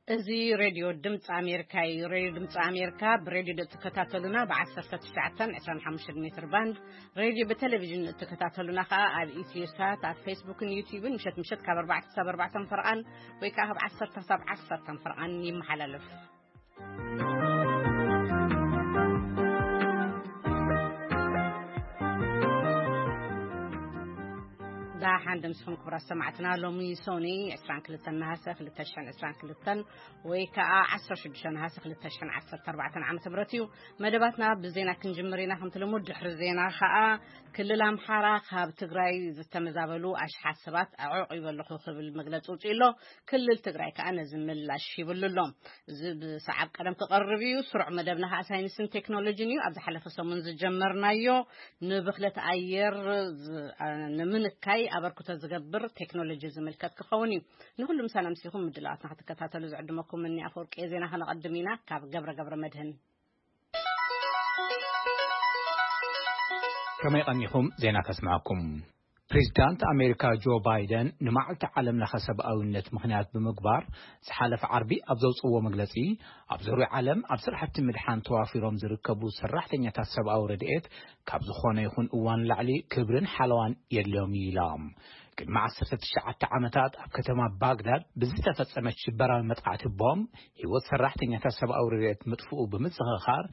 እዚ ሬድዮ ድምፂ ኣሜሪካ እዩ። ሬድዮ ድምፂ ኣሜሪካ ብሬድዮ እትከታተሉና ብ19፣ 25 ሜትር ባንድ ሬድዮ፣ ብቴሌቪዥን እትከታተሉና ከዓ ኣብ ኢትዮ ሳት፣ ኣብ ፌስቡክን ዩቲዩብን ምሸት ምሸት ካብ ኣርባዕተ ክሳብ ኣርባዕተ ፈርቓን ወይ ከዓ ካብ ዓሰርተ ክሳብ ዓሰርተ ፈርቓን ይመሓላለፍ። ደሓን ዶ ምስኹም ክቡራት ሰማዕትና። ሎሚ ሶኒ ዕስራን ክልተን ነሃሰ ክልተ ሽሕን ዕስራን ክልተን ወይ ከዓ ዓሰርተ ሽዱሽተ ነሃሰ ክልተ ሽሕን ዓሰርተ ኣርባዕተን ዓመተ ምህረት እዩ። መደባትና ብዜና ክንጅምር ኢና። ከምቲ ልሙድ ድሕሪ ዜና ከዓ ክልል ኣምሓራ ካብ ትግራይ ዝተመዛበሉ ኣሽሓት ሰባት ኣዕቂበ ኣለኹ ክብል መግለፂ ውፅኡ ኣሎ። ክልል ትግራይ ከዓ ነዚ ምላሽ ሂብሉ ኣሎ። እዚ ብሰዓብ ቀደም ክቐርብ እዩ። ስሩዕ መደብና ከዓ ሳይንስን ቴክኖሎጂን እዩ። ኣብ ዝሓለፈ ሰሙን ዝጀመርናዮ ንብኽለት ኣየር ዝ-፣ ንምንካይ ኣበርክቶ ዝገብር ቴክኖሎጂ ዝምልከት ክኸውን እዩ። ንኹሉ ምሳና ምሲኹም ምድላዋትና ክትከታተሉ ዝዕድመኩም እኒ ኣፈወርቂ። ዜና ከነቐድም ኢና ካብ ገብረ ገብረ መድህን። ከመይ ቀኒኹም? ዜና ከስምዐኩም። ፕሬዚዳንት ኣሜሪካ ጆ ባይደን ንመዓልቲ ዓለም ለኸ ሰብኣዊነት ምኽንያት ብምግባር ዝሓለፈ ዓርቢ ኣብ ዘውፅዎ መግለፂ፣ ኣብ ዙርያ ዓለም ኣብ ስራሕቲ ምድሓን ተዋፊሮም ዝርከቡ ሰራሕተኛታት ሰብኣዊ ረድኤት ካብ ዝኾነ ይኹን እዋን ላዕሊ ክብርን ሓለዋን የድልዮም እዩ ኢሎም። ቅድሚ ዓሰርተ ትሽዓተ ዓመታት ኣብ ከተማ ባግዳድ ብዝተፈጸመት ሽበራዊ መጥቃዕቲ ቦምብ ህይወት ሰራሕተኛታት ሰብኣዊ ረድኤት ምጥፍኡ ብምዝኽኻር፣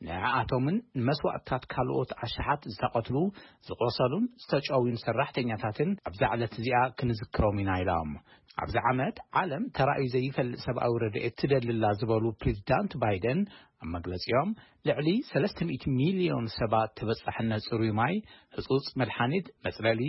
ንዓኣቶምን ንመስዋእትታት ካልኦት ኣሽሓት ዝተቐትሉ፣ ዝቖሰሉን ዝተጨውዩን ሰራሕተኛታትን ኣብዛ ዕለት እዚኣ ክንዝክሮም ኢና ኢሎም። ኣብዚ ዓመት ዓለም ተራእዩ ዘይፈልጥ ሰብኣዊ ረድኤት ትደልላ ዝበሉ ፕሬዚዳንት ባይደን ኣብ መግለጺኦም፣ ልዕሊ ሰለስተ ሚእቲ ሚልዮን ሰባት ተበጻሕነት ጽሩይ ማይ፣ ህጹጽ መድሓኒት፣ መጽለሊ፣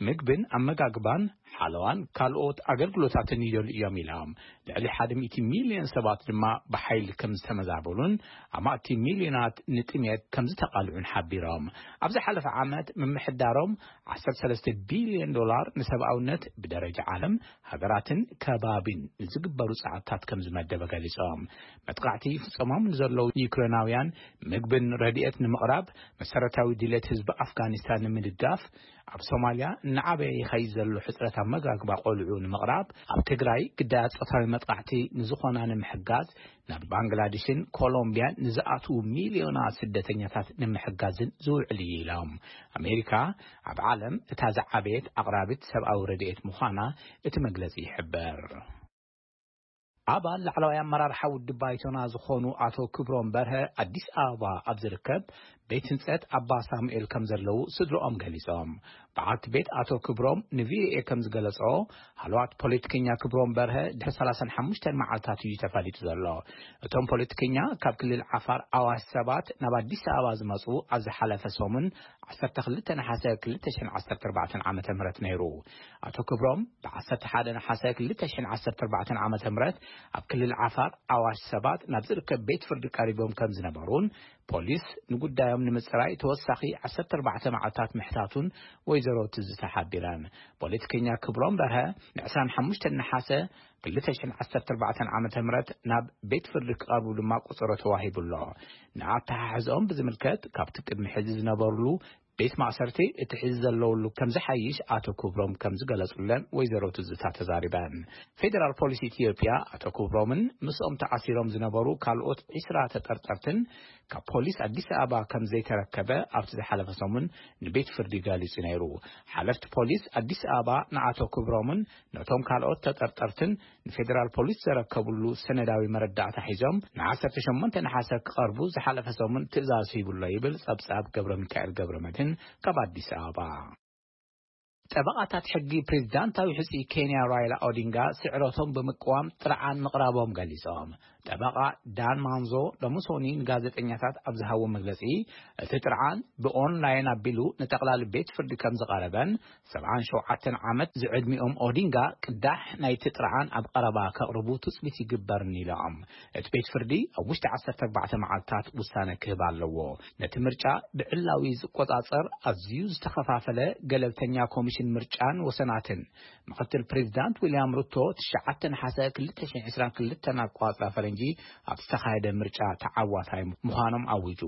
ምግብን ኣመጋግባን፣ ሓለዋን ካልኦት ኣገልግሎታትን ይደልዩ እዮም ኢሎም። ልዕሊ ሓደ ሚእቲ ሚልዮን ሰባት ድማ ብሓይሊ ከም ዝተመዛበሉን ኣማእቲ ሚልዮናት ንጥሜት ከም ዝተቓልዑን ሓቢሮም። ኣብ ዝሓለፈ ዓመት ምምሕዳሮም ዓሰርተ ሰለስተ ቢልዮን ዶላር ንሰብኣውነት ብደረጃ ዓለም፣ ሃገራትን ከባቢን ንዝግበሩ ጻዕርታት ከም ዝመደበ ገሊጾም። መጥቃዕቲ ይፍጸሞም ንዘለዉ ዩክሬናውያን ምግብን ረድኤት ንምቕራብ፣ መሰረታዊ ድሌት ህዝቢ ኣፍጋኒስታን ንምድጋፍ፣ ኣብ ሶማልያ እናዓበየ ይኸይድ ዘሎ ሕጽረት ኣመጋግባ ቆልዑ ንምቕራብ፣ ኣብ ትግራይ ግዳያት ጾታዊ መጥቃዕቲ ንዝኾና ንምሕጋዝ፣ ናብ ባንግላዴሽን ኮሎምቢያን ንዝኣትዉ ሚልዮናት ስደተኛታት ንምሕጋዝን ዝውዕል እዩ ኢሎም። ኣሜሪካ ኣብ ዓለም እታ ዝዓበየት ኣቕራቢት ሰብኣዊ ረድኤት ምዃና እቲ መግለጺ ይሕብር። ኣባል ላዕለዋይ ኣመራርሓ ውድብ ባይቶና ዝኾኑ ኣቶ ክብሮም በርሀ ኣዲስ ኣበባ ኣብ ዝርከብ ቤት ህንጸት ኣባ ሳሙኤል ከም ዘለዉ ስድሮኦም ገሊጾም። በዓልቲ ቤት ኣቶ ክብሮም ንቪኦኤ ከም ዝገለጾ፣ ሃለዋት ፖለቲከኛ ክብሮም በርሀ ድሕሪ ሰላሳን ሓሙሽተን መዓልታት እዩ ተፈሊጡ ዘሎ። እቶም ፖለቲከኛ ካብ ክልል ዓፋር ኣዋሽ ሰባት ናብ ኣዲስ ኣበባ ዝመጹ ኣብ ዝሓለፈ ሰሙን ዓሰርተ ክልተ ነሓሰ ክልተ ሽሕን ዓሰርተ ኣርባዕተን ዓመተ ምህረት ነይሩ። ኣቶ ክብሮም ብ ዓሰርተ ሓደ ነሓሰ ክልተ ሽሕን ዓሰርተ ኣርባዕተን ዓመተ ምህረት ኣብ ክልል ዓፋር ኣዋሽ ሰባት ናብ ዝርከብ ቤት ፍርዲ ቀሪቦም ከም ዝነበሩን ፖሊስ ንጉዳዮም ንምጽራይ ተወሳኺ ዓሰርተ ኣርባዕተ መዓልታት ምሕታቱን ወይዘሮ ትዝታ ሓቢረን። ፖለቲከኛ ክብሮም በርሀ ን ዕስራን ሓሙሽተን ነሓሰ ክልተ ሽሕን ዓሰርተ ኣርባዕተን ዓመተ ምህረት ናብ ቤት ፍርዲ ክቐርቡ ድማ ቆጸሮ ተዋሂቡ ኣሎ። ንኣተሓሕዝኦም ብዝምልከት ካብቲ ቅድሚ ሕዚ ዝነበሩሉ ቤት ማእሰርቲ እቲ ሕዚ ዘለውሉ ከም ዝሓይሽ ኣቶ ክብሮም ከም ዝገለጹለን ወይዘሮ ትዝታ ተዛሪበን። ፌዴራል ፖሊስ ኢትዮጵያ ኣቶ ክብሮምን ምስኦም ተኣሲሮም ዝነበሩ ካልኦት ዒስራ ተጠርጠርትን ካብ ፖሊስ ኣዲስ ኣበባ ከም ዘይተረከበ ኣብቲ ዝሓለፈ ሰሙን ንቤት ፍርዲ ገሊጹ ነይሩ። ሓለፍቲ ፖሊስ ኣዲስ ኣበባ ንኣቶ ክብሮምን ነቶም ካልኦት ተጠርጠርትን ንፌዴራል ፖሊስ ዘረከብሉ ሰነዳዊ መረዳእታ ሒዞም ንዓሰርተ ሸሞንተ ነሓሰ ክቐርቡ ዝሓለፈ ሰሙን ትእዛዝ ሂቡሎ ይብል ጸብጻብ ገብረ ሚካኤል ገብረ መድህን ካብ ኣዲስ ኣበባ። ጠበቓታት ሕጊ ፕሬዝዳንታዊ ሕጹይ ኬንያ ራይላ ኦዲንጋ ስዕረቶም ብምቅዋም ጥርዓን ምቕራቦም ገሊጾም። ጠበቓ ዳን ማንዞ ሎሚ ሶኒ ንጋዜጠኛታት ኣብ ዝሃቦ መግለጺ፣ እቲ ጥርዓን ብኦንላይን ኣቢሉ ንጠቕላሊ ቤት ፍርዲ ከም ዝቐረበን፣ ሰብዓን ሸውዓተን ዓመት ዝዕድሚኦም ኦዲንጋ ቅዳሕ ናይቲ ጥርዓን ኣብ ቀረባ ከቕርቡ ትጽቢት ይግበርን ኢሎም። እቲ ቤት ፍርዲ ኣብ ውሽጢ ዓሰርተ ኣርባዕተ መዓልታት ውሳነ ክህብ ኣለዎ። ነቲ ምርጫ ብዕላዊ ዝቆጻጸር ኣዝዩ ዝተኸፋፈለ ገለልተኛ ኮሚሽን ምርጫን ወሰናትን ምክትል ፕሬዚዳንት ዊልያም ሩቶ ትሽዓተ ነሓሰ ክልተ ሽሕን ዕስራን ክልተን ኣቋጽራ ፈረንጂ ኣብ ዝተኻየደ ምርጫ ተዓዋታይ ምዃኖም ኣዊጁ።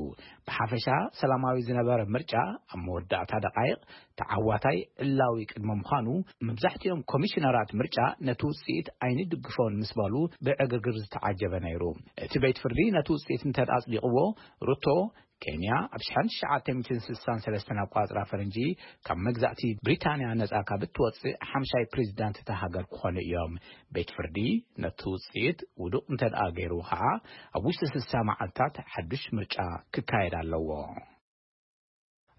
ብሓፈሻ ሰላማዊ ዝነበረ ምርጫ ኣብ መወዳእታ ደቃይቕ ተዓዋታይ ዕላዊ ቅድሚ ምዃኑ፣ መብዛሕትኦም ኮሚሽነራት ምርጫ ነቲ ውጽኢት ኣይንድግፎን ምስ በሉ ብዕግርግር ዝተዓጀበ ነይሩ። እቲ ቤት ፍርዲ ነቲ ውጽኢት እንተ ኣጽዲቕዎ፣ ሩቶ ኬንያ ኣብ ሽሕን ትሽዓተ ሚእትን ስሳን ሰለስተን ኣቋጽራ ፈረንጂ ካብ መግዛእቲ ብሪታንያ ነጻ ካብ እትወጽእ ሓምሻይ ፕሬዚዳንት እታ ሃገር ክኾኑ እዮም። ቤት ፍርዲ ነቲ ውጽኢት ውዱቕ እንተ ደኣ ገይሩ ኸዓ፣ ኣብ ውሽጢ ስሳ መዓልታት ሓዱሽ ምርጫ ክካየድ ኣለዎ።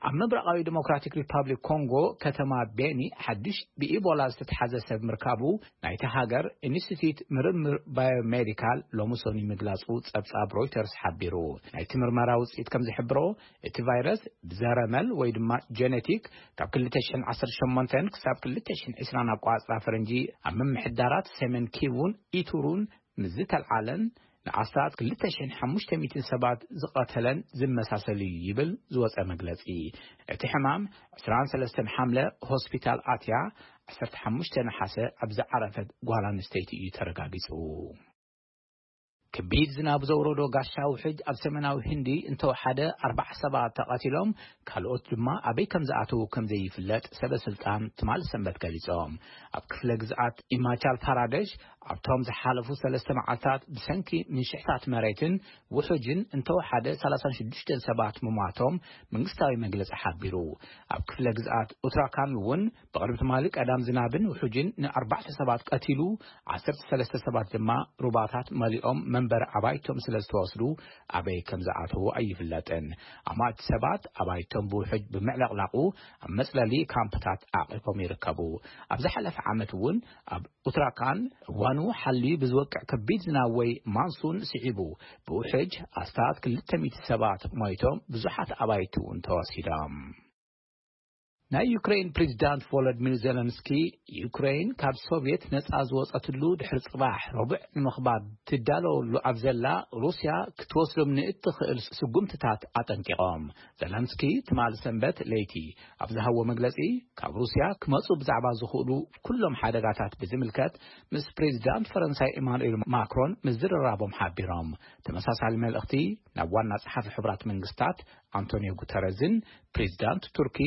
ኣብ ምብራቓዊ ዲሞክራቲክ ሪፓብሊክ ኮንጎ ከተማ ቤኒ ሓድሽ ብኢቦላ ዝተትሓዘ ሰብ ምርካቡ ናይቲ ሃገር ኢንስቲትዩት ምርምር ባዮሜዲካል ሎሚ ሰኑይ ምግላጹ ጸብጻብ ሮይተርስ ሓቢሩ። ናይቲ ምርመራ ውጽኢት ከም ዝሕብሮ፣ እቲ ቫይረስ ብዘረመል ወይ ድማ ጀነቲክ ካብ ክልተ ሽሕን ዓሰርተ ሸሞንተን ክሳብ ክልተ ሽሕን ዕስራን ኣቋጽራ ፈረንጂ ኣብ ምምሕዳራት ሰሜን ኪቡን ኢቱሩን ምስ ዝተልዓለን ንኣስታት ክልተ ሽሕን ሓሙሽተ ሚእትን ሰባት ዝቐተለን ዝመሳሰል እዩ ይብል ዝወጸ መግለጺ። እቲ ሕማም ዕስራን ሰለስተን ሓምለ ሆስፒታል ኣትያ፣ ዓሰርተ ሓሙሽተ ነሓሰ ኣብ ዝዓረፈት ጓል ኣንስተይቲ እዩ ተረጋጊጹ። ከቢድ ዝናብ ዘውረዶ ጋሻ ውሕጅ ኣብ ሰሜናዊ ህንዲ እንተወሓደ ኣርባዓ ሰባት ተቐቲሎም፣ ካልኦት ድማ ኣበይ ከም ዝኣተዉ ከም ዘይፍለጥ ሰበ ስልጣን ትማል ሰንበት ገሊጾም። ኣብ ክፍለ ግዝኣት ኢማቻል ፓራደሽ ኣብቶም ዝሓለፉ ሰለስተ መዓልታት ብሰንኪ ምንሽሕታት መሬትን ውሑጅን እንተወሓደ ሰላሳን ሽዱሽተን ሰባት ምሟቶም መንግስታዊ መግለጺ ሓቢሩ። ኣብ ክፍለ ግዝኣት ኡትራካንድ እውን ብቕድሚ ትማሊ ቀዳም ዝናብን ውሑጅን ንኣርባዕተ ሰባት ቀቲሉ፣ ዓሰርተ ሰለስተ ሰባት ድማ ሩባታት መሊኦም መንበሪ ኣባይቶም ስለ ዝተወስዱ ኣበይ ከም ዝኣተዉ ኣይፍለጥን። ኣማእቲ ሰባት ኣባይቶም ብውሑጅ ብምዕለቕላቑ ኣብ መጽለሊ ካምፕታት ዓቒቦም ይርከቡ። ኣብ ዝሓለፈ ዓመት እውን ኣብ ኡትራካንድ እዋኑ ሓልዩ ብዝወቅዕ ከቢድ ዝናብ ወይ ማንሱን ስዒቡ ብውሕጅ ኣስታት ክልተ ሚእቲ ሰባት ሞይቶም፣ ብዙሓት ኣባይቲ እውን ተወሲዶም። ናይ ዩክሬን ፕሬዚዳንት ቮሎዲሚር ዜለንስኪ፣ ዩክሬን ካብ ሶቪየት ነጻ ዝወጸትሉ ድሕሪ ጽባሕ ረቡዕ ንምኽባር ትዳለወሉ ኣብ ዘላ፣ ሩስያ ክትወስዶም ንእትኽእል ስጉምትታት ኣጠንቂቖም። ዘለንስኪ ትማል ሰንበት ለይቲ ኣብ ዝሃቦ መግለጺ፣ ካብ ሩስያ ክመጹ ብዛዕባ ዝኽእሉ ኩሎም ሓደጋታት ብዝምልከት ምስ ፕሬዚዳንት ፈረንሳይ ኢማኑኤል ማክሮን ምዝርራቦም ሓቢሮም። ተመሳሳሊ መልእኽቲ ናብ ዋና ጸሓፊ ሕቡራት መንግስታት ኣንቶኒዮ ጉተረዝን ፕሬዚዳንት ቱርኪ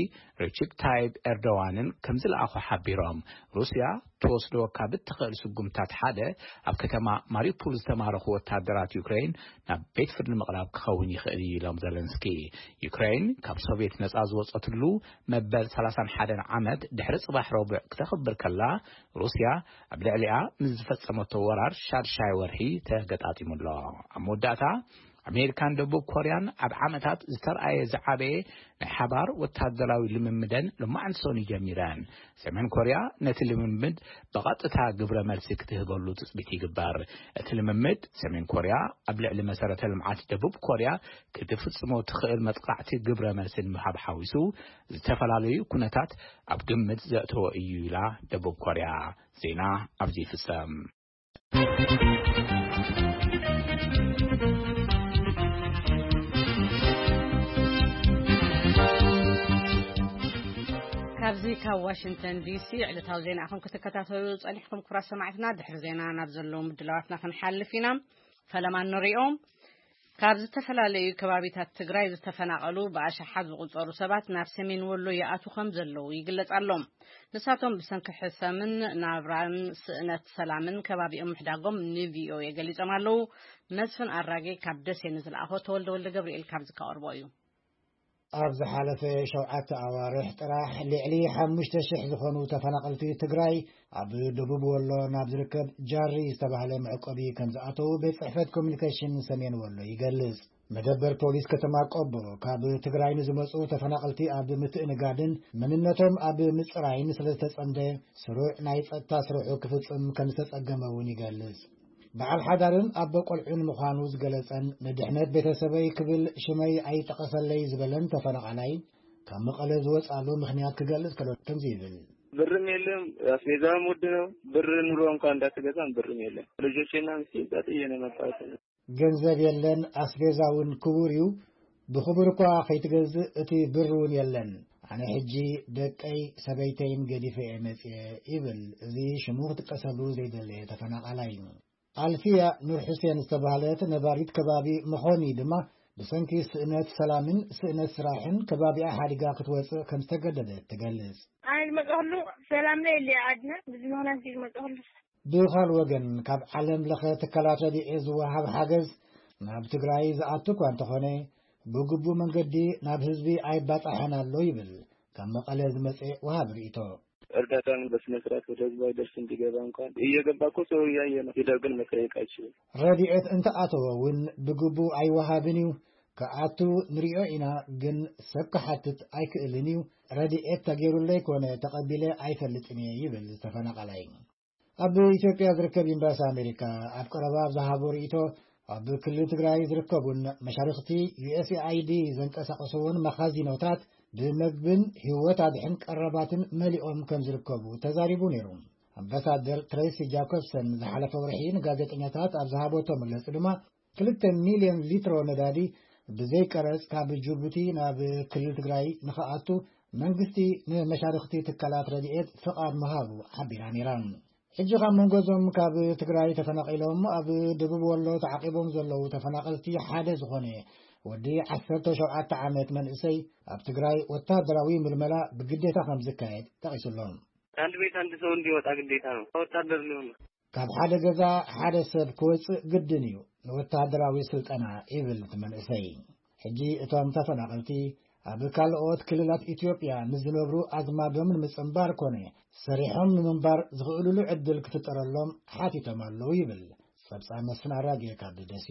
ረቺፕ ታይብ ኤርዶዋንን ከም ዝለኣኹ ሓቢሮም። ሩስያ ትወስዶ ካብ እትኽእል ስጉምታት ሓደ፣ ኣብ ከተማ ማሪውፖል ዝተማረኹ ወታደራት ዩክሬን ናብ ቤት ፍርዲ ምቕራብ ክኸውን ይኽእል እዩ ኢሎም ዘለንስኪ። ዩክሬን ካብ ሶቪየት ነጻ ዝወጸትሉ መበል ሰላሳን ሓደን ዓመት ድሕሪ ጽባሕ ረቡዕ ክተኽብር ከላ፣ ሩስያ ኣብ ልዕሊኣ ምስ ዝፈጸመቶ ወራር ሻድሻይ ወርሒ ተገጣጢሙ ኣሎ። ኣብ መወዳእታ፣ ኣሜሪካን ደቡብ ኮርያን ኣብ ዓመታት ዝተርኣየ ዝዓበየ ናይ ሓባር ወታደራዊ ልምምደን ሎማዕንቲ ሰኑይ ጀሚረን። ሰሜን ኮርያ ነቲ ልምምድ ብቐጥታ ግብረ መልሲ ክትህበሉ ትጽቢት ይግበር። እቲ ልምምድ፣ ሰሜን ኮርያ ኣብ ልዕሊ መሰረተ ልምዓት ደቡብ ኮርያ ክትፍጽሞ ትኽእል መጥቃዕቲ ግብረ መልሲ ንምሃብ ሓዊሱ፣ ዝተፈላለዩ ኩነታት ኣብ ግምት ዘእተወ እዩ ኢላ ደቡብ ኮርያ። ዜና ኣብዚ ይፍጸም። ካብዚ ካብ ዋሽንግተን ዲሲ ዕለታዊ ዜና ኢኹም ክትከታተሉ ጸኒሕኩም። ክቡራት ሰማዕትና፣ ድሕሪ ዜና ናብ ዘለዉ ምድላዋትና ክንሓልፍ ኢና። ፈለማ ንሪኦም። ካብ ዝተፈላለዩ ከባቢታት ትግራይ ዝተፈናቐሉ ብኣሽሓት ዝቑጸሩ ሰባት ናብ ሰሜን ወሎ ይኣትዉ ከም ዘለዉ ይግለጽ ኣሎ። ንሳቶም ብሰንኪ ሕሰምን ናብራን ስእነት ሰላምን ከባቢኦም ምሕዳጎም ን ቪ ኦ ኤ ገሊጾም ኣለዉ። መስፍን ኣራጌ ካብ ደሴ ንዝለኣኾ ተወልደ ወልደ ገብርኤል ካብዚ ከቕርቦ እዩ። ኣብ ዝሓለፈ ሸውዓተ ኣዋርሕ ጥራሕ ልዕሊ ሓሙሽተ ሽሕ ዝኾኑ ተፈናቐልቲ ትግራይ ኣብ ደቡብ ወሎ ናብ ዝርከብ ጃሪ ዝተባህለ መዕቆቢ ከም ዝኣተዉ ቤት ጽሕፈት ኮሚኒኬሽን ሰሜን ወሎ ይገልጽ። መደበር ፖሊስ ከተማ ቆቦ ካብ ትግራይ ንዝመጹ ተፈናቐልቲ ኣብ ምትእንጋድን መንነቶም ኣብ ምጽራይን ስለ ዝተጸምደ፣ ስሩዕ ናይ ጸጥታ ስርሑ ክፍጽም ከም ዝተጸገመ እውን ይገልጽ። በዓል ሓዳርን ኣቦ ቆልዑን ምዃኑ ዝገለጸን ንድሕነት ቤተሰበይ ክብል ሽመይ ኣይጠቐሰለይ ዝበለን ተፈናቓላይ፣ ካብ መቐለ ዝወጻሉ ምኽንያት ክገልጽ ከሎ ከምዚ ይብል። ብርም የለም፣ አስቤዛም ውድ ነው። ብር ኑሮ እንኳን እንዳትገዛም ብርም የለም። ልጆቼና ምስኪን ጥዬ ነው የመጣሁት። ገንዘብ የለን፣ ኣስቤዛ እውን ክቡር እዩ። ብኽቡር እኳ ከይትገዝእ እቲ ብር እውን የለን። ኣነ ሕጂ ደቀይ ሰበይተይን ገዲፈ እየ መጽየ ይብል። እዚ ሽሙ ክጥቀሰሉ ዘይደለየ ተፈናቓላይ እዩ። ኣልፊያ ኑር ሑሴን ዝተባህለት ነባሪት ከባቢ መኾኒ ድማ ብሰንኪ ስእነት ሰላምን ስእነት ስራሕን ከባቢኣ ሓዲጋ ክትወፅእ ከም ዝተገደደት ትገልጽ። ኣነ ዝመፅእ ከሉ ሰላም ናይ የለ ዓድና፣ ብዚ ምኽንያት እዩ ዝመፅእ ከሉ። ብኻል ወገን ካብ ዓለም ለኸ ትካላት ረድኤት ዝወሃብ ሓገዝ ናብ ትግራይ ዝኣቱ እኳ እንተኾነ ብግቡእ መንገዲ ናብ ህዝቢ ኣይባፃሐን ኣሎ ይብል ካብ መቐለ ዝመፅእ ወሃብ ርእይቶ። እርዳታን በስነ ስርዓት ወደ ህዝቡ አይደርስም። ቢገባ እንኳን እየገባ እኮ ሰው እያየ ነው። ሄደው ግን መጠየቅ አይችልም። ረድኤት እንተኣተወ እውን ብግቡእ ኣይወሃብን እዩ። ክኣቱ ንሪኦ ኢና፣ ግን ሰብ ክሓትት ኣይክእልን እዩ። ረድኤት ተገይሩለይ ኮነ ተቐቢለ ኣይፈልጥን እየ ይብል ተፈናቓላይ። ኣብ ኢትዮጵያ ዝርከብ ኤምባሲ ኣሜሪካ ኣብ ቀረባ ኣብ ዝሃቦ ርእይቶ፣ ኣብ ክልል ትግራይ ዝርከቡን መሻርኽቲ ዩ ኤስ ኤ ኣይ ዲ ዘንቀሳቐስዎን መኻዚኖታት ብመግብን ህይወት ኣድሕን ቀረባትን መሊኦም ከም ዝርከቡ ተዛሪቡ ነይሩ። ኣምባሳደር ትሬሲ ጃኮብሰን ዝሓለፈ ወርሒ ንጋዜጠኛታት ኣብ ዝሃበቶ መግለጺ ድማ፣ ክልተ ሚልዮን ሊትሮ ነዳዲ ብዘይ ቀረጽ ካብ ጅቡቲ ናብ ክልል ትግራይ ንኽኣቱ መንግስቲ ንመሻርኽቲ ትካላት ረድኤት ፍቓድ ምሃቡ ሓቢራ ነይራ። ሕጂ ካብ መንጎ እዞም ካብ ትግራይ ተፈናቒሎም ኣብ ደቡብ ወሎ ተዓቂቦም ዘለዉ ተፈናቐልቲ ሓደ ዝኾነ ወዲ ዓሰርተ ሸውዓተ ዓመት መንእሰይ፣ ኣብ ትግራይ ወታደራዊ ምልመላ ብግዴታ ከም ዝካየድ ጠቒሱሎም። ከአንድ ቤት አንድ ሰው እንዲወጣ ግዴታ ነው። ወታደር ሊሆን ነው። ካብ ሓደ ገዛ ሓደ ሰብ ክወጽእ ግድን እዩ፣ ንወታደራዊ ስልጠና ይብል እቲ መንእሰይ። ሕጂ እቶም ተፈናቐልቲ ኣብ ካልኦት ክልላት ኢትዮጵያ ንዝነብሩ ኣዝማዶም ንምጽንባር ኮነ ሰሪሖም ንምንባር ዝኽእሉሉ ዕድል ክፍጠረሎም ሓቲቶም ኣለዉ ይብል ጸብጻብ መስፍን ኣራጌ ካብ ደሴ።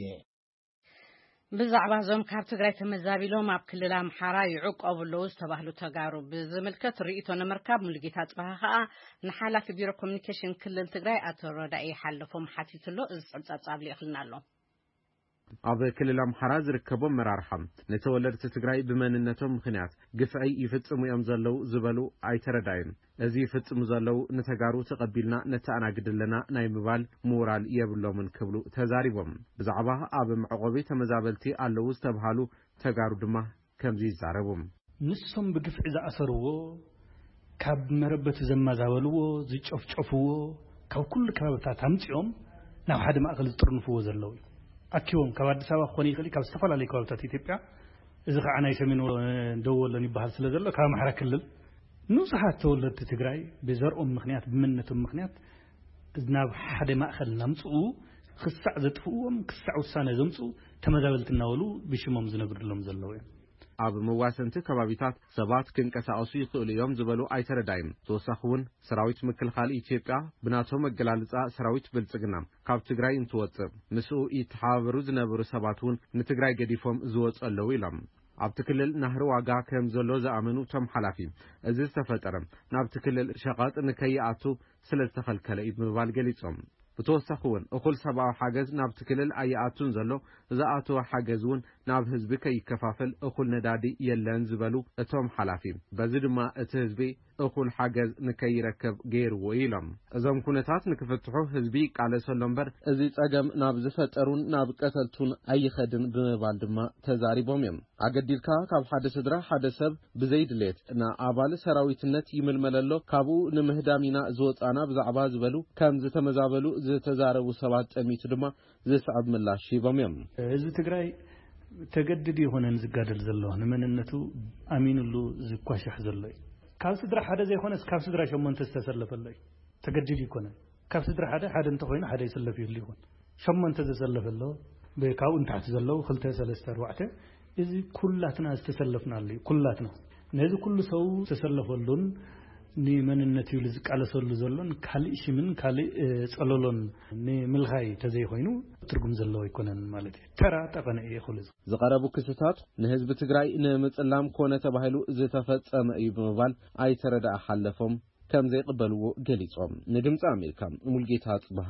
ብዛዕባ እዞም ካብ ትግራይ ተመዛቢሎም ኣብ ክልል ኣምሓራ ይዕቆቡ ኣለዉ ዝተባህሉ ተጋሩ ብዝምልከት ርእይቶ ንምርካብ ሙሉጌታ ጽባህ ከኣ ንሓላፊ ቢሮ ኮሚኒኬሽን ክልል ትግራይ ኣቶ ረዳኢ ሓለፎም ሓቲቱ ኣሎ። እዚ ጽብጻብ ጻብ ልኢኽልና ኣሎ። ኣብ ክልል ኣምሓራ ዝርከቡ ኣመራርሓ ንተወለድቲ ትግራይ ብመንነቶም ምኽንያት ግፍዒ ይፍጽሙ እዮም ዘለዉ ዝበሉ ኣይተረዳዩን። እዚ ይፍጽሙ ዘለዉ ንተጋሩ ተቐቢልና ነተኣናግድ ኣለና ናይ ምባል ምውራል የብሎምን ክብሉ ተዛሪቦም። ብዛዕባ ኣብ መዕቆቢ ተመዛበልቲ ኣለዉ ዝተብሃሉ ተጋሩ ድማ ከምዚ ይዛረቡ። ንሶም ብግፍዒ ዝኣሰርዎ፣ ካብ መረበቱ ዘመዛበልዎ፣ ዝጨፍጨፍዎ፣ ካብ ኩሉ ከባብታት ኣምጺኦም ናብ ሓደ ማእከል ዝጥርንፍዎ ዘለዉ እዩ። ኣኪቦም ካብ ኣዲስ ኣበባ ክኾን ይኽእል እዩ፣ ካብ ዝተፈላለዩ ከባብታት ኢትዮጵያ፣ እዚ ከዓ ናይ ሰሜን ወ-፣ ደቡብ ወሎን ይበሃል ስለ ዘሎ፣ ካብ ኣምሓራ ክልል ንጹሃት ተወለድቲ ትግራይ ብዘርኦም ምኽንያት፣ ብመንነቶም ምኽንያት ናብ ሓደ ማእከል እናምጽኡ ክሳዕ ዘጥፍእዎም፣ ክሳዕ ውሳነ ዘምጽኡ ተመዛበልቲ እናበሉ ብሽሞም ዝነግድሎም ዘለዉ እዮም። ኣብ መዋሰንቲ ከባቢታት ሰባት ክንቀሳቐሱ ይኽእሉ እዮም ዝበሉ ኣይተረዳይም። ተወሳኺ እውን ሰራዊት ምክልኻል ኢትዮጵያ ብናቶም ኣገላልጻ ሰራዊት ብልጽግና ካብ ትግራይ እንትወጽእ ምስኡ ይተሓባበሩ ዝነበሩ ሰባት እውን ንትግራይ ገዲፎም ዝወጹ ኣለዉ ኢሎም። ኣብቲ ክልል ናህሪ ዋጋ ከም ዘሎ ዝኣመኑ እቶም ሓላፊ፣ እዚ ዝተፈጠረ ናብቲ ክልል ሸቐጥ ንከይኣቱ ስለ ዝተኸልከለ እዩ ብምባል ገሊጾም። ብተወሳኺ እውን እኹል ሰብኣዊ ሓገዝ ናብቲ ክልል ኣይኣቱን ዘሎ፣ ዝኣተወ ሓገዝ እውን ናብ ህዝቢ ከይከፋፈል እኹል ነዳዲ የለን ዝበሉ እቶም ሓላፊ፣ በዚ ድማ እቲ ህዝቢ እኹል ሓገዝ ንከይረከብ ገይርዎ እዩ ኢሎም። እዞም ኩነታት ንክፍትሑ ህዝቢ ይቃለሰሎ እምበር እዚ ጸገም ናብ ዝፈጠሩን ናብ ቀተልቱን ኣይኸድን ብምባል ድማ ተዛሪቦም እዮም። ኣገዲድካ ካብ ሓደ ስድራ ሓደ ሰብ ብዘይ ድሌት ንኣባል ሰራዊትነት ይምልመል ኣሎ፣ ካብኡ ንምህዳም ኢና ዝወጻና ብዛዕባ ዝበሉ ከም ዝተመዛበሉ ዝተዛረቡ ሰባት ጠሚቱ ድማ ዝስዕብ ምላሽ ሂቦም እዮም። ህዝቢ ትግራይ ተገድድ ይኾነን ዝጋደል ዘሎ፣ ንመንነቱ ኣሚኑሉ ዝኳሻሕ ዘሎ እዩ። ካብ ስድራ ሓደ ዘይኮነስ ካብ ስድራ ሸሞንተ ዝተሰለፈ ኣሎ እዩ። ተገድድ ይኮነን። ካብ ስድራ ሓደ ሓደ እንተኾይኑ ሓደ ይስለፍ ይህሉ ይኾን። ሸሞንተ ዘሰለፈ ኣሎ፣ ብ-፣ ካብኡ ንታሕቲ ዘለዉ ክልተ፣ ሰለስተ፣ ኣርባዕተ፣ እዚ ኩላትና ዝተሰለፍናሉ እዩ። ኩላትና። ነዚ ኩሉ ሰው ዝተሰለፈሉን ንመንነት ኢሉ ዝቃለሰሉ ዘሎን ካልእ ሽምን ካልእ፣ እ፣ ጸለሎን ንምልኻይ ተዘይኮይኑ ትርጉም ዘለዎ ኣይኮነን ማለት እዩ። ተራ ጠቐነ እዩ ይኽእሉ። ዝቐረቡ ክስታት ንህዝቢ ትግራይ ንምጽላም ኮነ ተባሂሉ ዝተፈጸመ እዩ ብምባል ኣይተረዳኣ ሓለፎም ከም ዘይቕበልዎ ገሊጾም። ንድምጺ ኣሜሪካ ሙልጌታ ጽብሃ።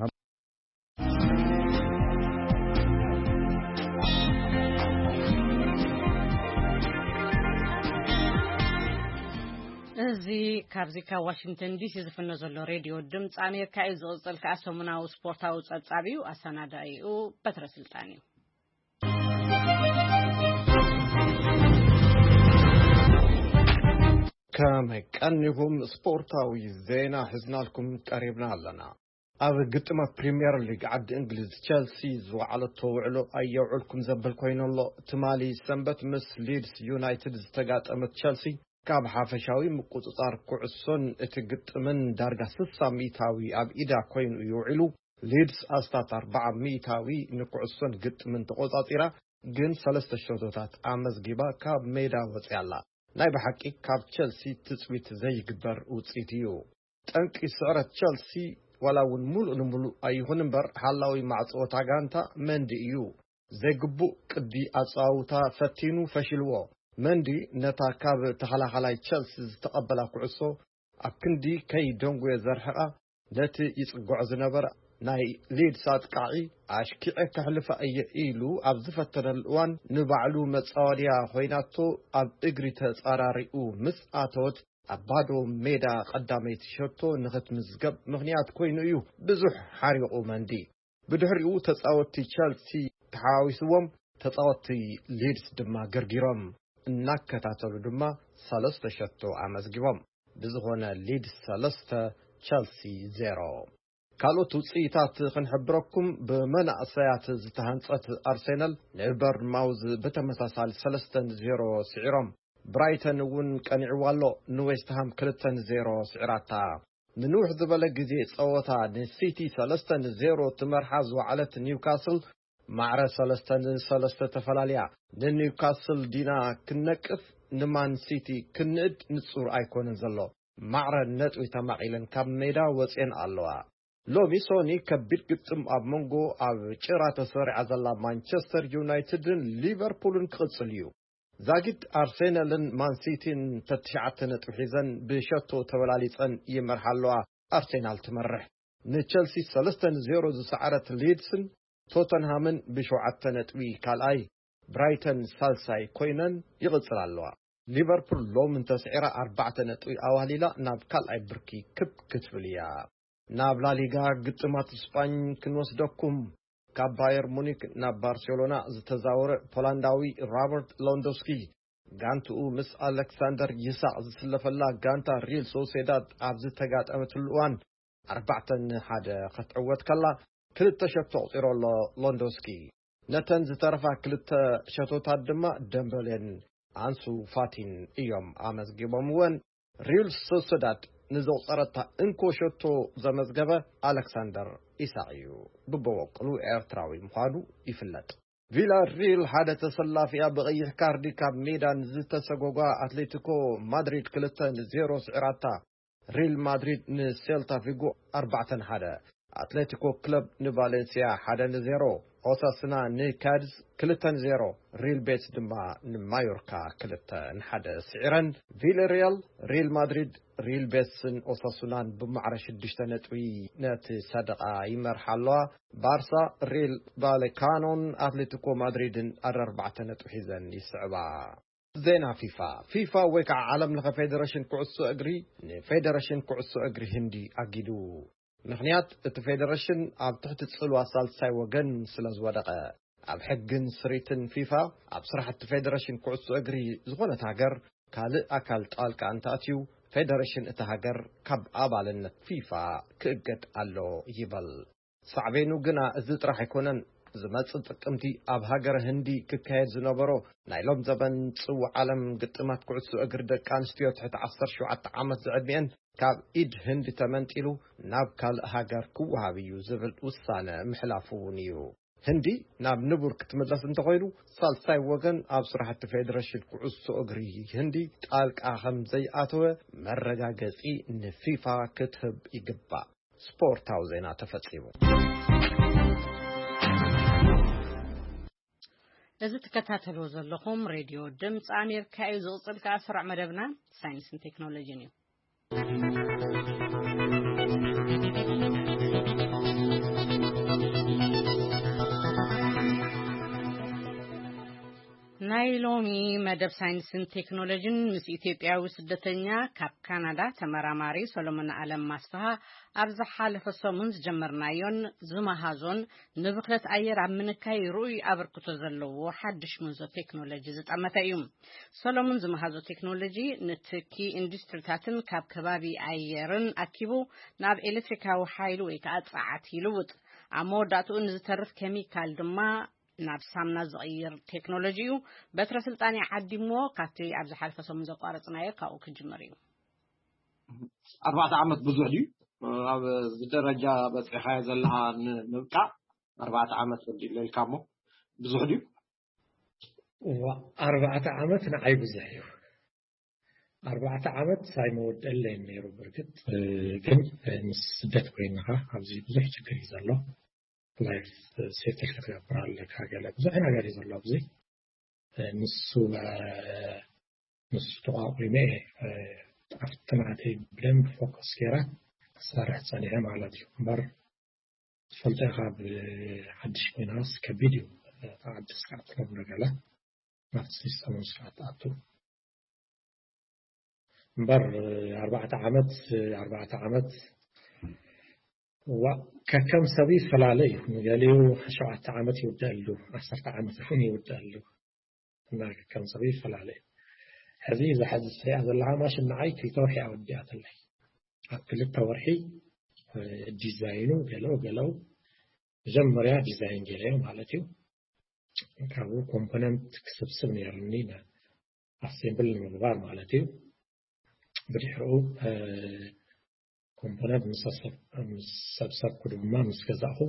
እዚ ካብዚ ካብ ዋሽንግተን ዲሲ ዝፍኖ ዘሎ ሬድዮ ድምፂ ኣሜሪካ እዩ። ዝቕፅል ከዓ ሰሙናዊ ስፖርታዊ ፀብፃብ እዩ። ኣሰናዳኢኡ በትረ ስልጣን እዩ። ከመይ ቀኒኹም? ስፖርታዊ ዜና ሒዝናልኩም ቀሪብና ኣለና። ኣብ ግጥማት ፕሪምየር ሊግ ዓዲ እንግሊዝ፣ ቸልሲ ዝወዓለቶ ውዕሎ ኣየውዕልኩም ዘብል ኮይኑ ኣሎ። ትማሊ ሰንበት ምስ ሊድስ ዩናይትድ ዝተጋጠመት ቸልሲ፣ ካብ ሓፈሻዊ ምቁጽጻር ኩዕሶን እቲ ግጥምን ዳርጋ ስሳ ሚእታዊ ኣብ ኢዳ ኮይኑ እዩ ውዒሉ። ሊድስ ኣስታት ኣርባዓ ሚእታዊ ንኩዕሶን ግጥምን ተቆጻጺራ፣ ግን ሰለስተ ሸቶታት ኣመዝጊባ ካብ ሜዳ ወጺኣ ኣላ። ናይ ብሓቂ ካብ ቸልሲ ትጽቢት ዘይግበር ውጽኢት እዩ። ጠንቂ ስዕረት ቸልሲ፣ ዋላ እውን ሙሉእ ንሙሉእ ኣይኹን እምበር፣ ሓላዊ ማዕጾ እታ ጋንታ መንዲ እዩ። ዘይግቡእ ቅዲ ኣጻውታ ፈቲኑ ፈሽልዎ። መንዲ ነታ ካብ ተኸላኻላይ ቸልሲ ዝተቐበላ ኩዕሶ ኣብ ክንዲ ከይደንጉየ ዘርሕቓ፣ ነቲ ይጽግዖ ዝነበረ ናይ ሊድስ ኣጥቃዒ ኣሽኪዐ ከሕልፋ እየ ኢሉ ኣብ ዝፈተነሉ እዋን፣ ንባዕሉ መጻወድያ ኮይናቶ ኣብ እግሪ ተጻራሪኡ ምስ ኣተወት፣ ኣብ ባዶ ሜዳ ቀዳመይቲ ሸቶ ንኽትምዝገብ ምኽንያት ኮይኑ እዩ ብዙሕ ሓሪቑ መንዲ። ብድሕሪኡ ተጻወትቲ ቸልሲ ተሓዋዊስዎም፣ ተጻወትቲ ሊድስ ድማ ገርጊሮም እናከታተሉ ድማ ሰለስተ ሸቶ ኣመዝጊቦም። ብዝኾነ ሊድስ ሰለስተ፣ ቸልሲ ዜሮ። ካልኦት ውጽኢታት ክንሕብረኩም፣ ብመናእሰያት ዝተሃንጸት ኣርሴናል ንበርንማውዝ ብተመሳሳሊ ሰለስተ ንዜሮ ስዒሮም። ብራይተን እውን ቀኒዕዋ ኣሎ፣ ንዌስትሃም ክልተ ንዜሮ ስዒራታ። ንንውሕ ዝበለ ግዜ ጸወታ ንሲቲ ሰለስተ ንዜሮ ትመርሓ ዝወዓለት ኒውካስል፣ ማዕረ ሰለስተ ንሰለስተ ተፈላልያ። ንኒውካስል ዲና ክንነቅፍ፣ ንማን ሲቲ ክንእድ ንጹር ኣይኮነን ዘሎ። ማዕረ ነጥቢ ተማቒለን ካብ ሜዳ ወጽየን ኣለዋ። ሎሚ ሶኒ ከቢድ ግጥም ኣብ መንጎ ኣብ ጭራ ተሰሪዓ ዘላ ማንቸስተር ዩናይትድን ሊቨርፑልን ክቕጽል እዩ። ዛጊድ ኣርሴናልን ማንሲቲን ተትሽዓተ ነጥቢ ሒዘን ብሸቶ ተበላሊጸን ይመርሓ ኣለዋ። ኣርሴናል ትመርሕ። ንቸልሲ ሰለስተ ንዜሮ ዝሰዓረት ሊድስን ቶተንሃምን ብሸውዓተ ነጥቢ ካልኣይ፣ ብራይተን ሳልሳይ ኮይነን ይቕጽላ ኣለዋ። ሊቨርፑል ሎም እንተስዒራ ኣርባዕተ ነጥቢ ኣዋህሊላ ናብ ካልኣይ ብርኪ ክብ ክትብል እያ። ናብ ላሊጋ ግጥማት ስጳኝ ክንወስደኩም። ካብ ባየር ሙኒክ ናብ ባርሴሎና ዝተዛወረ ፖላንዳዊ ሮበርት ሎንዶስኪ፣ ጋንትኡ ምስ ኣሌክሳንደር ይሳቕ ዝስለፈላ ጋንታ ሪል ሶሴዳድ ኣብ ዝተጋጠመትሉ እዋን፣ ኣርባዕተ ንሓደ ክትዕወት ከላ፣ ክልተ ሸቶ ኣቑጺሩ ኣሎ ሎንዶስኪ። ነተን ዝተረፋ ክልተ ሸቶታት ድማ ደምበሌን ኣንሱ ፋቲን እዮም ኣመዝጊቦምወን። ሪል ሶሰዳድ ንዘቑጸረታ እንኮ ሸቶ ዘመዝገበ ኣሌክሳንደር ኢሳቕ እዩ። ብበወቅሉ ኤርትራዊ ምዃኑ ይፍለጥ። ቪላ ሪል ሓደ ተሰላፊያ ብቐይሕ ካርዲ ካብ ሜዳ ንዝተሰጎጓ ኣትሌቲኮ ማድሪድ ክልተ ንዜሮ ስዒራታ። ሪል ማድሪድ ንሴልታ ቪጎ ኣርባዕተ ንሓደ፣ ኣትሌቲኮ ክለብ ንቫሌንሲያ ሓደ ንዜሮ፣ ኦሳስና ንካድዝ ክልተ ንዜሮ፣ ሪል ቤትስ ድማ ንማዮርካ ክልተ ንሓደ ስዒረን። ቪለሪያል፣ ሪል ማድሪድ፣ ሪል ቤትስን ኦሳሱናን ብማዕረ ሽዱሽተ ነጥቢ ነቲ ሰደቓ ይመርሓ ኣለዋ። ባርሳ፣ ሪል ቫሌካኖን ኣትሌቲኮ ማድሪድን ኣርባዕተ ነጥቢ ሒዘን ይስዕባ። ዜና ፊፋ። ፊፋ ወይ ከዓ ዓለም ለኸ ፌደሬሽን ኩዕሶ እግሪ ንፌደሬሽን ኩዕሶ እግሪ ህንዲ ኣጊዱ። ምኽንያት፣ እቲ ፌደሬሽን ኣብ ትሕቲ ጽልዋ ሳልሳይ ወገን ስለ ዝወደቐ። ኣብ ሕግን ስሪትን ፊፋ፣ ኣብ ስራሕቲ ፌደሬሽን ኩዕሶ እግሪ ዝኾነት ሃገር ካልእ ኣካል ጣልቃ እንተኣትዩ፣ ፌደሬሽን እታ ሃገር ካብ ኣባልነት ፊፋ ክእገድ ኣሎ ይበል። ሳዕቤኑ ግና እዚ ጥራሕ ኣይኮነን። ዝመጽእ ጥቅምቲ ኣብ ሃገረ ህንዲ ክካየድ ዝነበሮ ናይ ሎም ዘበን ጽዋዕ ዓለም ግጥማት ኩዕሶ እግሪ ደቂ ኣንስትዮ ትሕቲ ዓሰርተ ሸውዓተ ዓመት ዝዕድሚአን ካብ ኢድ ህንዲ ተመንጢሉ ናብ ካልእ ሃገር ክወሃብ እዩ ዝብል ውሳነ ምሕላፉ እውን እዩ። ህንዲ ናብ ንቡር ክትምለስ እንተኾይኑ፣ ሳልሳይ ወገን ኣብ ስራሕቲ ፌደሬሽን ኩዕሶ እግሪ ህንዲ ጣልቃ ከም ዘይኣተወ መረጋገጺ ንፊፋ ክትህብ ይግባእ። ስፖርታዊ ዜና ተፈጺሙ። እዚ ትከታተልዎ ዘለኹም ሬድዮ ድምፂ ኣሜሪካ እዩ። ዝቕፅል ከዓ ስሩዕ መደብና ሳይንስን ቴክኖሎጂን እዩ። ናይ ሎሚ መደብ ሳይንስን ቴክኖሎጂን ምስ ኢትዮጵያዊ ስደተኛ ካብ ካናዳ ተመራማሪ ሰሎሞን ኣለም ኣስፍሃ ኣብ ዝሓለፈ ሰሙን ዝጀመርናዮን ዝመሃዞን ንብኽለት ኣየር ኣብ ምንካይ ርኡይ ኣበርክቶ ዘለዎ ሓድሽ ምንዞ ቴክኖሎጂ ዝጠመተ እዩ። ሰሎሞን ዝመሃዞ ቴክኖሎጂ ንትኪ ኢንዱስትሪታትን ካብ ከባቢ ኣየርን ኣኪቡ ናብ ኤሌክትሪካዊ ሓይሊ ወይ ከዓ ጸዓት ይልውጥ። ኣብ መወዳእትኡ ንዝተርፍ ኬሚካል ድማ ናብ ሳምና ዝቕይር ቴክኖሎጂ እዩ። በትረ ስልጣን ይዓዲሞ ካብቲ ኣብ ዝሓለፈ ሰሙን ዘቋረጽናዮ ካብኡ ክጅምር እዩ። ኣርባዕተ ዓመት ብዙሕ ድዩ? ኣብ እዚ ደረጃ በፂሓዮ ዘለኻ ንምብቃዕ ኣርባዕተ ዓመት ወዲእለ ኢልካ እሞ ብዙሕ ድዩ? ኣርባዕተ ዓመት ንዓይ ብዙሕ እዩ። ኣርባዕተ ዓመት ኣይመወደለይን ነይሩ። ብርግጥ ግን ምስ ስደት ኮይንኻ ኣብዚ ብዙሕ ችግር እዩ ዘሎ። ላይፍ ሴትል ክትገብር ኣለካ። ገለ ብዙሕ ነገር እዩ ዘሎ ኣብዚ። ንሱ ንሱ ተቋቂመ ኣብቲ ናተይ ብደንብ ፎከስ ገይረ ክሰርሕ ፀኒሐ ማለት እዩ። እምበር ትፈልጦ ኢኻ፣ ብሓድሽ ኮይናስ ከቢድ እዩ። ተዓዲ ስርዓት ከም ነገለ ናብቲ ሲስተም ስርዓት ኣቱ እምበር ኣርባዕተ ዓመት ኣርባዕተ ዓመት ዋ ከከም ሰብ ይፈላለ እዩ። ንገሊኡ ሸውዓተ ዓመት ይውደአሉ፣ ዓሰርተ ዓመት እውን ይውደአሉ እና ከከም ሰብ ይፈላለ እዩ። ሕዚ እዛ ሕዚ ትሪኣ ዘለኻ ማሽን ንዓይ ክልተ ወርሒ ኣወዲኣትለይ። ኣብ ክልተ ወርሒ ዲዛይኑ ገለው ገለው መጀመርያ ዲዛይን ገይረዮ ማለት እዩ። ካብኡ ኮምፖነንት ክስብስብ ነይሩኒ ኣሴምብል ንምግባር ማለት እዩ። ብድሕሪኡ ኮምፖነንት ምስ ሰብሰብኩ ድማ ምስ ገዛእኹ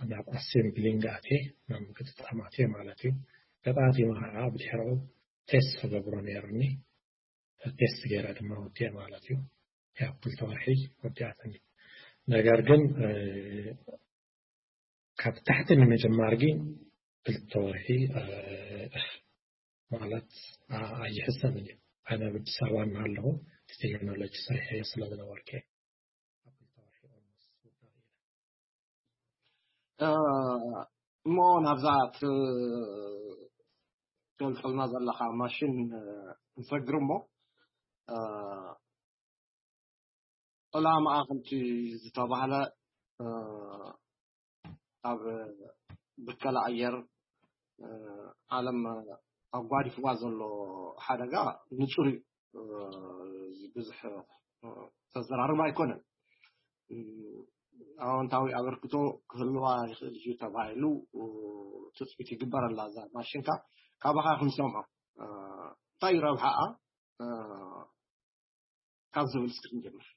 ናብ ኣሴምብሊንግ ኣትየ ናብ ምግጥጣም ኣትየ ማለት እዩ። ገጣጢመ ከዓ ብድሕሪኡ ቴስት ክገብሮ ነይሩኒ። ቴስት ገይረ ድማ ወዲአ ማለት እዩ። ያው ክልተ ወርሒ ወዲኣትኒ። ነገር ግን ካብ ታሕቲ ንምጅማር ግን ክልተ ወርሒ ማለት ኣይሕሰብን እዩ። ኣነ ኣብ ኣዲስ ኣበባ እናሃለኹ እቲ ቴክኖሎጂ ሰሪሐዮ ስለ ዝነበርኩ እየ። እሞ ናብዛ ትገልፀልና ዘለካ ማሽን ንሰግር እሞ ዕላማኣ ከምቲ ዝተባህለ ኣብ ብከላ ኣየር ዓለም ኣጓዲፍዋ ዘሎ ሓደጋ ንፁር እዩ። ብዙሕ ተዘራርብ ኣይኮነን። ኣወንታዊ ኣበርክቶ ክህልዋ ይኽእል እዩ ተባሂሉ ትፅቢት ይግበረላ እዛ ማሽንካ። ካባኻ ክንሰምዖ እንታይ እዩ ረብሓኣ ካብ ዝብል እስኪ ክንጀምር።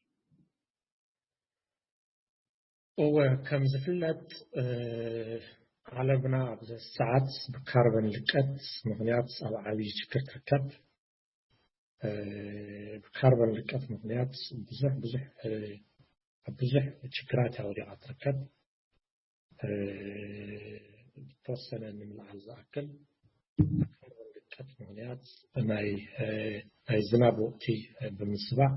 እወ ከም ዝፍለጥ ዓለምና ኣብዚ ሰዓት ብካርበን ልቀት ምኽንያት ኣብ ዓብዪ ችግር ትርከብ። ብካርበን ልቀት ምኽንያት ብዙሕ ብዙሕ ኣብ ብዙሕ ችግራት እያ ወዲቓ ትርከብ። ብተወሰነ ንምልዓል ዝኣክል ብካርበን ልቀት ምኽንያት ናይ ናይ ዝናብ ወቅቲ ብምስባዕ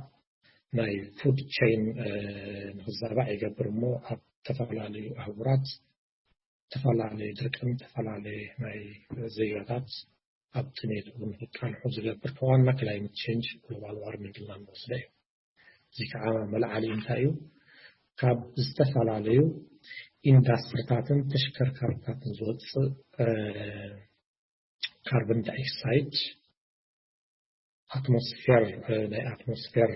ናይ ፉድ ቸይን ንክዛባዕ ይገብር እሞ ኣብ ዝተፈላለዩ ኣህጉራት ዝተፈላለዩ ድርቅን ዝተፈላለዩ ናይ ዘይጋታት ኣብ ጥሜት እውን ክቃልሑ ዝገብር ዋና ክላይመት ቼንጅ ግሎባል ዋርሚንግ ኢልና ንወስዶ እዩ። እዚ ከዓ መልዓሊ እንታይ እዩ? ካብ ዝተፈላለዩ ኢንዳስትሪታትን ተሽከርካሪታትን ዝወፅእ ካርቦን ዳይኦክሳይድ ኣትሞስፌር ናይ ኣትሞስፌር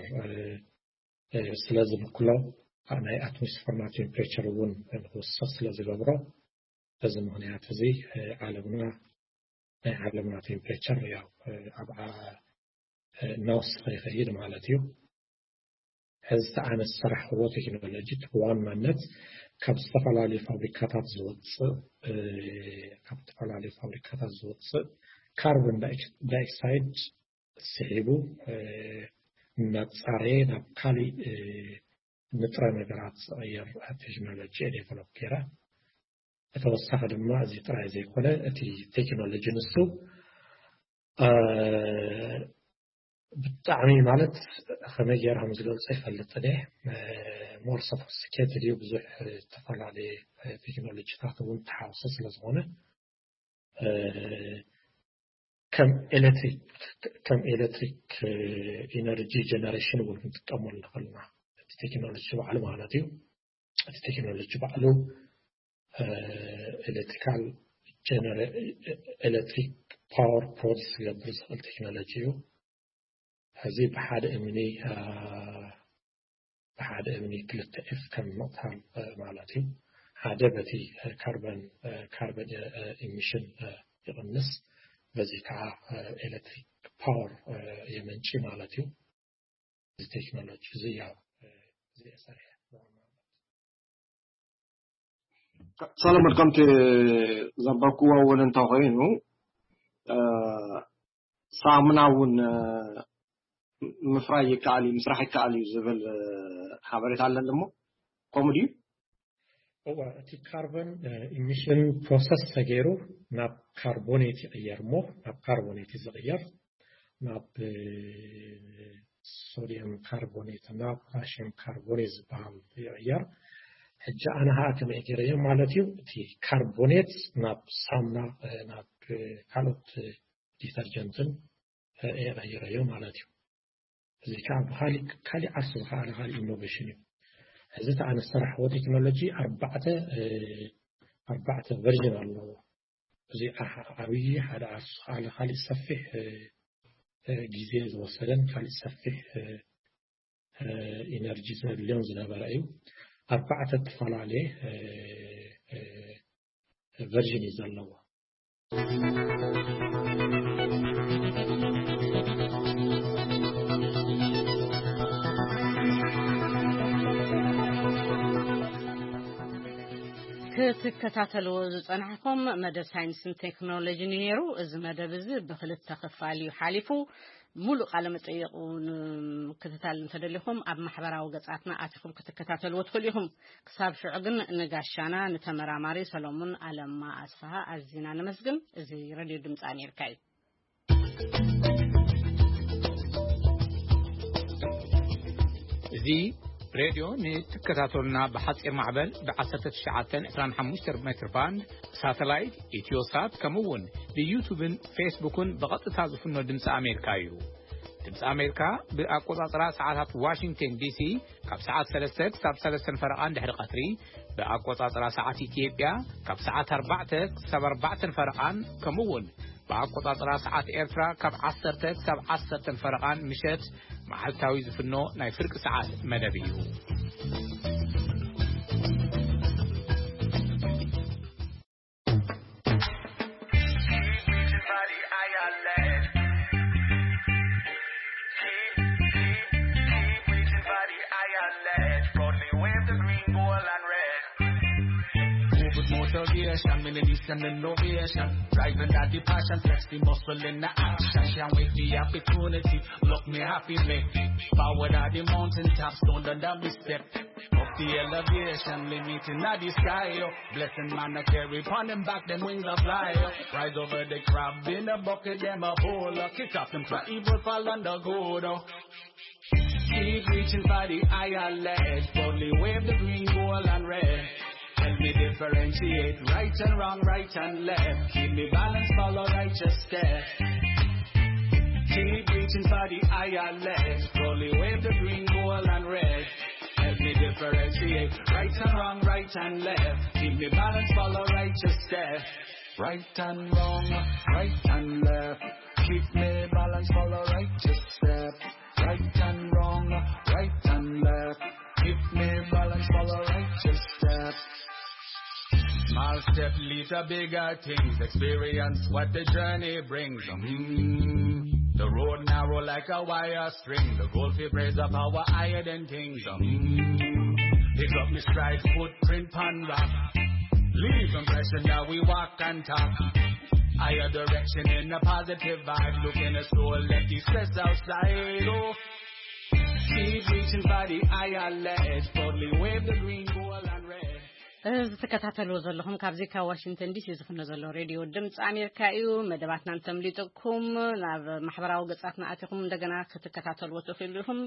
ስለ ዝብክሎ ናይ ኣትሞስፈርና ቴምፕሬቸር እውን ንክውስኽ ስለ ዝገብሮ በዚ ምክንያት እዚ ዓለምና ናይ ዓለምና ቴምፕሬቸር ያው ኣብ እናወሰኸ ይኸይድ ማለት እዩ። ሕዚ ኣነ ዝሰራሕክዎ ቴክኖሎጂ ብዋናነት ካብ ዝተፈላለዩ ፋብሪካታት ዝወፅእ ካብ ዝተፈላለዩ ፋብሪካታት ዝወፅእ ካርቦን ዳይኦክሳይድ ስሒቡ እናፃረየ ናብ ካሊእ ንጥረ ነገራት ዝቐየር ቴክኖሎጂ ዴቨሎፕ ገይረ። ብተወሳኺ ድማ እዚ ጥራይ ዘይኮነ እቲ ቴክኖሎጂ ንሱ ብጣዕሚ ማለት ከመይ ገይረ ከም ዝገልፆ ይፈልጥን እየ። ሞር ሶፊስቲኬትድ እዩ። ብዙሕ ዝተፈላለየ ቴክኖሎጂታት እውን ተሓውሰ ስለ ዝኾነ ከም ኤሌክትሪክ ከም ኤሌክትሪክ ኢነርጂ ጀነሬሽን እውን ክንጥቀመሉ ንኽእል ኢና። እቲ ቴክኖሎጂ ባዕሉ ማለት እዩ። እቲ ቴክኖሎጂ ባዕሉ ኤሌክትሪካል ኤሌክትሪክ ፓወር ፕሮዲስ ክገብር ዝኽእል ቴክኖሎጂ እዩ። እዚ ብሓደ እምኒ ብሓደ እምኒ ክልተ ኤፍ ከም ምቕታል ማለት እዩ። ሓደ በቲ ካርበን ካርበን ኢሚሽን ይቕንስ፣ በዚ ከዓ ኤሌክትሪክ ፓወር የመንጪ ማለት እዩ። እዚ ቴክኖሎጂ እዚ ያው እዚ የሰርሐ ሰለሞን፣ ከምቲ ዘንበብክዎ እውን እንተኮይኑ ሳሙና እውን ምፍራይ ይከኣል እዩ፣ ምስራሕ ይከኣል እዩ ዝብል ሓበሬታ ኣለኒ። እሞ ከምኡ ድዩ? እዋ፣ እቲ ካርበን ኢሚሽን ፕሮሰስ ተገይሩ ናብ ካርቦኔት ይቕየር። እሞ ናብ ካርቦኔት እዩ ዝቕየር፣ ናብ ሶዲየም ካርቦኔት እና ፖታሽየም ካርቦኔት ዝበሃል ይቕየር። ሕጂ ኣነ ሀኣ ከመይ ገይረዮ ማለት እዩ፣ እቲ ካርቦኔት ናብ ሳሙና ናብ ካልኦት ዲተርጀንትን እየ ቀይረዮ ማለት እዩ። እዚ ከዓ ብካሊእ ካሊእ ዓርሱ ዝኸኣለ ካሊእ ኢኖቬሽን እዩ። እዚ ተኣነ ዝሰራሕዎ ቴክኖሎጂ ኣርባዕተ ኣርባዕተ ቨርዥን ኣለዎ። እዚ ዓብዪ ሓደ ዓርሱ ዝኸኣለ ካሊእ ሰፊሕ ግዜ ዝወሰደን ካሊእ ሰፊሕ ኢነርጂ ዘድልዮን ዝነበረ እዩ። ኣርባዕተ እተፈላለየ ቨርዥን እዩ ዘለዎ። ክትከታተልዎ ዝጸናሕኩም መደብ ሳይንስን ቴክኖሎጂን እዩ ነይሩ። እዚ መደብ እዚ ብክልተ ክፋል እዩ ሓሊፉ። ሙሉእ ቃለ መጠይቁ ንምክትታል እንተደሊኹም ኣብ ማሕበራዊ ገጻትና ኣቲኹም ክትከታተልዎ ትኽእሉ ኢኹም። ክሳብ ሽዑ ግን ንጋሻና ንተመራማሪ ሰሎሙን ኣለማ ኣስፍሃ ኣዚና ነመስግን። እዚ ሬድዮ ድምፂ ኣሜሪካ እዩ። እዚ ሬድዮ ንትከታተሉና ብሓፂር ማዕበል ብ1925 ሜትር ባንድ ሳተላይት ኢትዮሳት ከምኡ እውን ብዩቱብን ፌስቡክን ብቐጥታ ዝፍኖ ድምፂ ኣሜሪካ እዩ። ድምፂ ኣሜሪካ ብኣቆፃፅራ ሰዓታት ዋሽንግተን ዲሲ ካብ ሰዓት ሰለስተ ክሳብ ሰለስተን ፈረቓን ድሕሪ ቀትሪ፣ ብኣቆፃፅራ ሰዓት ኢትዮጵያ ካብ ሰዓት ኣርባዕተ ክሳብ ኣርባዕተን ፈረቓን ከምኡ እውን ብኣቆጻጽራ ሰዓት ኤርትራ ካብ ዓሰርተ ክሳብ ዓሰርተን ፈረቓን ምሸት መዓልታዊ ዝፍኖ ናይ ፍርቂ ሰዓት መደብ እዩ። Motivation, me need some innovation. Driving that the passion, flex the muscle in the action. Can't wait the opportunity. Look me happy, make it. Power at the mountain top, stone under me step. Up the elevation, limiting at the sky. Yo. Blessing man, I carry upon them back, them wings are fly. Yo. Rise over the crab in the bucket, them a hole. Kick off them try evil, fall under good. Oh. Keep reaching for the higher ledge. Boldly wave the green, gold, and red. Help me differentiate right and wrong, right and left. Keep me balance, follow righteous step. Keep reaching for the higher ledge. Boldly wave the green, gold, and red. Help me differentiate right and wrong, right and left. Keep me balance, follow righteous step. Right and wrong, right and left. Keep me balance, follow righteous step. Right and wrong, right and left. Keep me balance, follow righteous step. Small step lead to bigger things. Experience what the journey brings. Mm. The road narrow like a wire string. The goal fi raise up our higher than kings. Mm. Pick up me stride, footprint pan rock. Leave impression that we walk and talk. Higher direction in a positive vibe. Look in the soul, let the stress outside. Oh. Keep reaching for the higher ledge. Boldly wave the green, gold, and red. እዚ ትከታተልዎ ዘለኹም ካብዚ ካብ ዋሽንግተን ዲሲ ዝፍኖ ዘሎ ሬድዮ ድምፂ ኣሜሪካ እዩ። መደባትና እንተምሊጥኩም ናብ ማሕበራዊ ገጻትና ኣቲኹም እንደገና ክትከታተልዎ ትኽእሉ ኢኹም።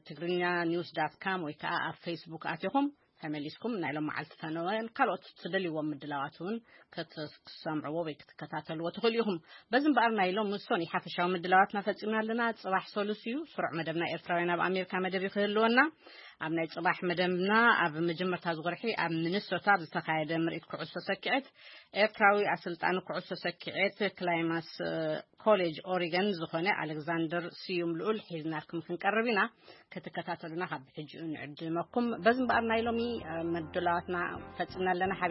ትግርኛ ኒውስ ዳት ካም ወይ ከዓ ኣብ ፌስቡክ ኣቲኹም ተመሊስኩም ናይ ሎም መዓልቲ ፈነወን ካልኦት ትደልይዎም ምድላዋት እውን ክትሰምዕዎ ወይ ክትከታተልዎ ትኽእሉ ኢኹም። በዚ እምበኣር ናይ ሎም ምሶን ሓፈሻዊ ምድላዋትና ፈጺምና ኣለና። ጽባሕ ሰሉስ እዩ። ስሩዕ መደብና ኤርትራውያን ኣብ ኣሜሪካ መደብ ክህልወና። ኣብ ናይ ጽባሕ መደብና ኣብ መጀመርታ ዝወርሒ ኣብ ሚኒሶታ ኣብ ዝተኻየደ ምርኢት ኩዕሶ ሰኪዐት ኤርትራዊ ኣሰልጣኒ ኩዕሶ ሰኪዐት ክላይማስ ኮሌጅ ኦሪገን ዝኾነ ኣሌክዛንደር ስዩም ልኡል ሒዝናልኩም ክንቀርብ ኢና። ክትከታተሉና ካብ ሕጂኡ ንዕድመኩም። በዚ እምበኣር ናይ ሎሚ መድላዋትና ፈጺምና ኣለና። ሓቢር